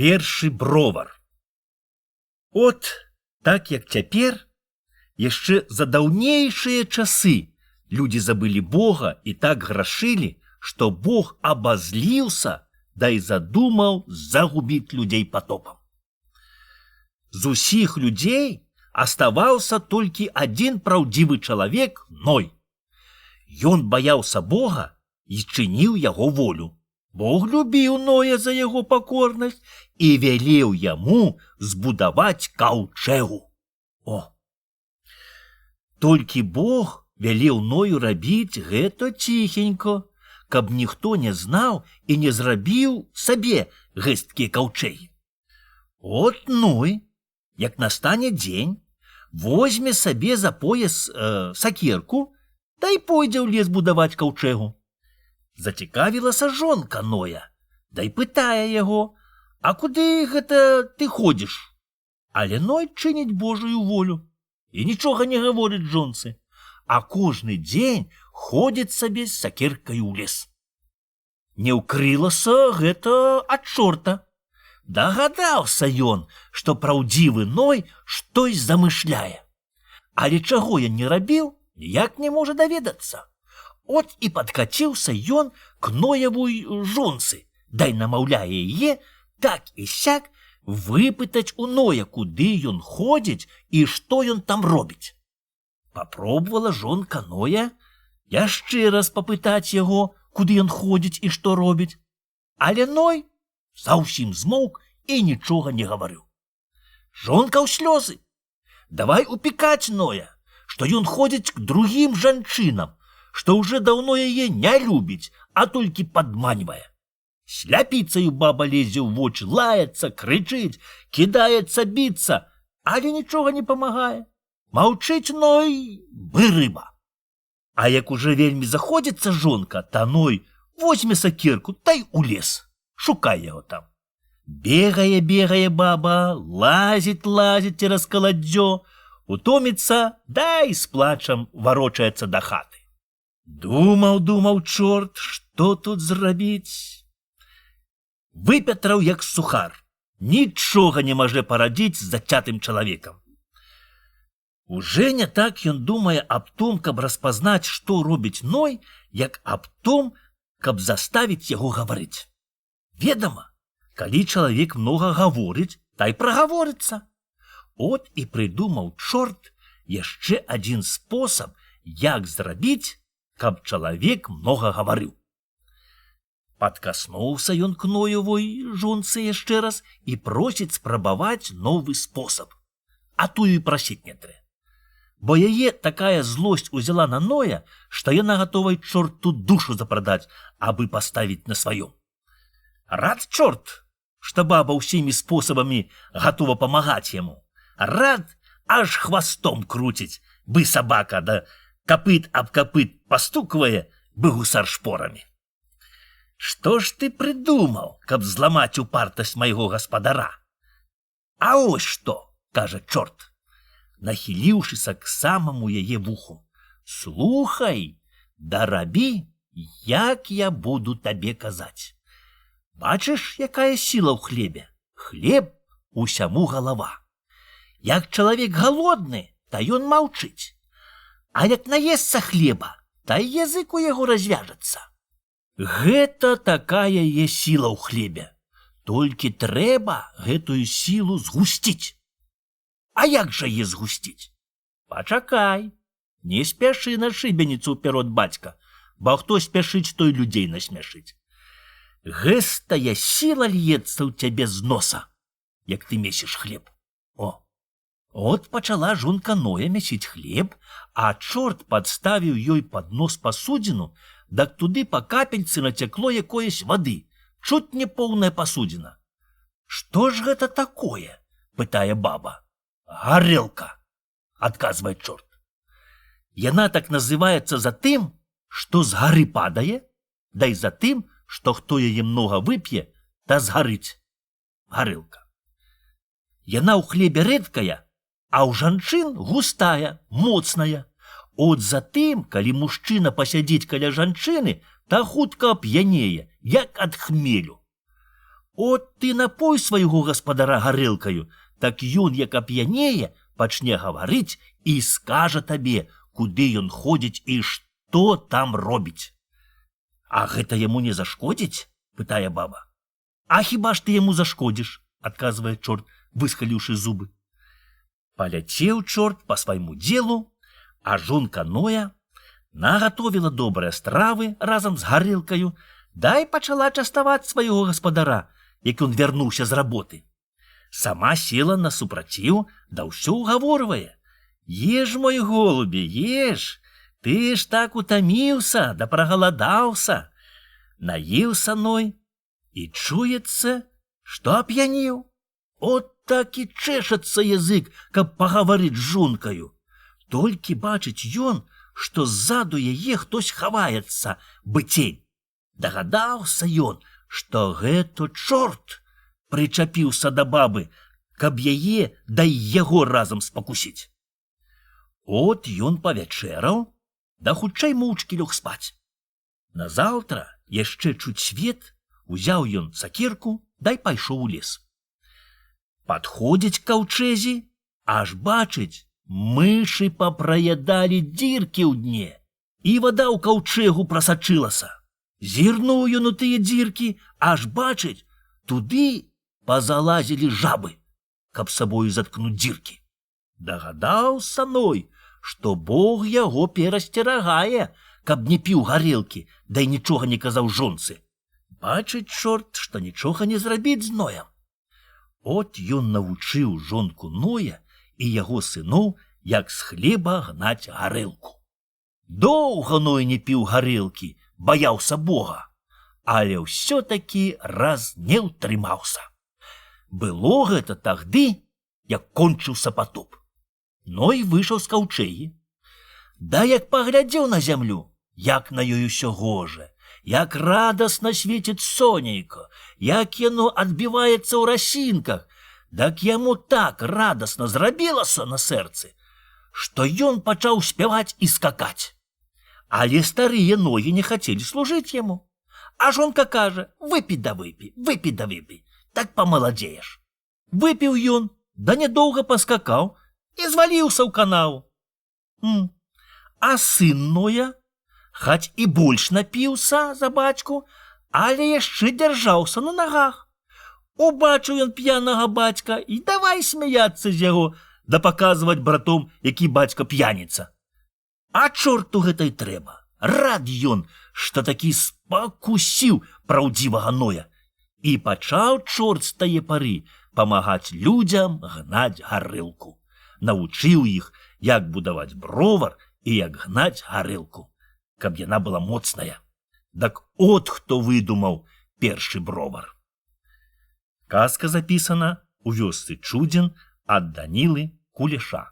Першы бровар. От, так як цяпер, яшчэ за даўнейшыя часы людзі забылі Бога і так грашылі, што Бог абазліўся, да і задумаў загубіць людзей патопам. З усіх людзей аставаўся толькі адзін праўдзівы чалавек Ной. Ён баяўся Бога і чыніў яго волю. Бог любіў Ноя за яго пакорнасць і велеў яму збудаваць каўчэгу. Толькі Бог велеў Ною рабіць гэта ціхенько, каб ніхто не знаў і не зрабіў сабе гэсткія каўчэгі. От Ной, як настане дзень, возьме сабе за пояс сакерку, та й пойдзе ў лес будаваць каўчэгу. Зацікавілася жонка Ноя, да й пытае яго: «А куды гэта ты ходзіш?» Але Ной чыніць Божую волю і нічога не гаворыць жонцы, а кожны дзень ходзіць сабе з сакеркай у лес. Не ўкрылася гэта ад чорта. Дагадаўся ён, што праўдзівы Ной штось замышляе. Але чаго ён не рабіў, ніяк не можа даведацца. От і падкаціўся ён к Ноевой жонцы, дай намаўляе яе так і сяк выпытаць у Ноя, куды ён ходзіць і што ён там робіць. Папробавала жонка Ноя яшчэ раз папытаць яго, куды ён ходзіць і што робіць. Але Ной заўсім змоўк і нічога не гаварыў. Жонка ў слёзы. Давай упікаць Ноя, што ён ходзіць к другім жанчынам, што ўжо даўно яе не любіць, а толькі падманьвае. Сляпіцаю баба лезе ў вочы, лаецца, крычыць, кідаецца біцца, але нічога не памагае. Маўчыць Ной, бы рыба. А як уже вельмі заходзіцца жонка, та Ной возьме сакерку, та й у лес, шукай яго там. Бегае баба, лазіць цераз каладдзё, утоміцца, да і з плачам варочаецца да хаты. Думаў чорт, што тут зрабіць. Выпятраў як сухар, нічога не можа парадзіць з зацятым чалавекам. Уже не так ён думае аб том, каб распазнаць, што робіць Ной, як аб том, каб заставіць яго гаварыць. Ведама, калі чалавек многа гаворыць, та й прагаворыцца. От і прыдумаў чорт яшчэ адзін спосаб, як зрабіць, каб чалавек многа гаварыў. Падкаснуўся ён к Ноевой жонцы яшчэ раз і просіць спрабаваць новы спосаб. А тую і прасіць не трэ. Бо яе такая злосць узяла на Ноя, што яна гатова чорту душу запрадаць, абы паставіць на сваём. Рад чорт, што баба ўсімі спосабамі гатова памагаць яму. Рад, аж хвастом круціць, бы сабака, да капыт аб капыт пастуквае, бы гусар шпорамі. Што ж ты прыдумаў, каб зламаць упартасць майго гаспадара? А ось што, кажа чорт, нахіліўшыся к самаму яе вуху. Слухай, да рабі, як я буду табе казаць. Бачыш, якая сіла ў хлебе? Хлеб усяму галава. Як чалавек галодны, та ён маўчыць. А як наесца хлеба, та язык у яго развяжацца. Гэта такая е сіла ў хлебе. Толькі трэба гэтую сілу згусціць. А як жа е згусціць? Пачакай, не спяшы на шыбеніцу ўперод бацька, бо хто спяшыць, той людзей насмяшыць. Гэстая сіла льецца ў цябе з носа, як ты месіш хлеб. От пачала жонка Ноя месіць хлеб, а чорт падставіў ёй пад нос пасудзіну, дак туды па капельцы нацякло якоясь вады, чуць не поўная пасудзіна. Што ж гэта такое? Пытае баба. Гарэлка, адказвае чорт. Яна так называецца за тым, што з гары падае, да і за тым, што хто яе многа вып'е, та згарыць. Гарэлка. Яна ў хлебе рэдкая, а ў жанчын густая, моцная. От затым, калі мужчына пасядзіць каля жанчыны, та хутка п'янее, як ад хмелю. От ты напой свайго гаспадара гарэлкаю, так ён, як ап'янее, пачне гаварыць і скажа табе, куды ён ходзіць і што там робіць. А гэта яму не зашкодзіць? Пытае баба. А хіба ж ты яму зашкодзіш? Адказвае чорт, выскаліўшы зубы. Паляцеў чорт па свайму делу, а жонка Ноя нагатовіла добрыя стравы разам з гарэлкаю, дай пачала частаваць свайго гаспадара, як ён вярнуўся з работы. Сама села на супраціў, да ўсё ўгаворвае. Еш, мой голубе, еш, ты ж так утаміўся, да прагаладаўся. Наеўся Ной, і чуецца, што ап'янеў. От так і чэшацца язык, каб пагаварыць з жонкаю. Толькі бачыць ён, што ззаду яе хтось хаваецца, бы цень. Дагадаўся ён, што гэта чорт прычапіўся да бабы, каб яе да яго разам спакусіць. От ён павячэраў, да хутчэй моўчкі лёг спаць. Назаўтра, яшчэ чуць свет, узяў ён сакерку, дай пайшоў у лес. Падходзіць к каўчэзі, аж бачыць, мышы папраядалі дзіркі ў дне, і вада ў каўчэгу прасачылася. Зірнуў ён у тыя дзіркі, аж бачыць, туды пазалазілі жабы, каб сабою заткнуць дзіркі. Дагадаўся Ной, што Бог яго перасцерагае, каб не піў гарэлкі, дай нічога не казаў жонцы. Бачыць чорт, што нічога не зрабіць з Ноем. От ён навучыў жонку Ноя і яго сыноў, як з хлеба гнаць гарэлку. Доўга Ной не піў гарэлкі, баяўся Бога, але ўсё-такі раз не ўтрымаўся. Было гэта тагды, як кончыўся патоп. Ной выйшаў з каўчэгі. Да як паглядзеў на зямлю, як на ёй усё гожа, як радасна свеціць сонейка, як яно адбіваецца ў расінках, дак яму так радасна зрабілася на сэрцы, што ён пачаў спяваць і скакаць. Але старыя ногі не хацелі служыць яму. А жонка кажа, выпі да выпі, так памаладзееш. Выпіў ён, да нядоўга паскакаў і зваліўся ў канаву. А сын Ноя, хаць і больш напіўся за бацьку, але яшчэ дзяржаўся на нагах. Убачыў ён п'янага бацька і давай смяяцца з яго, да паказваць братом, які бацька п'яніца. А чорту гэтай трэба. Рад ён, што такі спакусіў праўдзівага Ноя. І пачаў чорт з тае пары памагаць людзям гнаць гарэлку. Навучыў іх, як будаваць бровар і як гнаць гарэлку, каб яна была моцная. Дак от хто выдумаў першы бровар. Казка запісана ў вёсцы Чудзін ад Данілы Кулеша.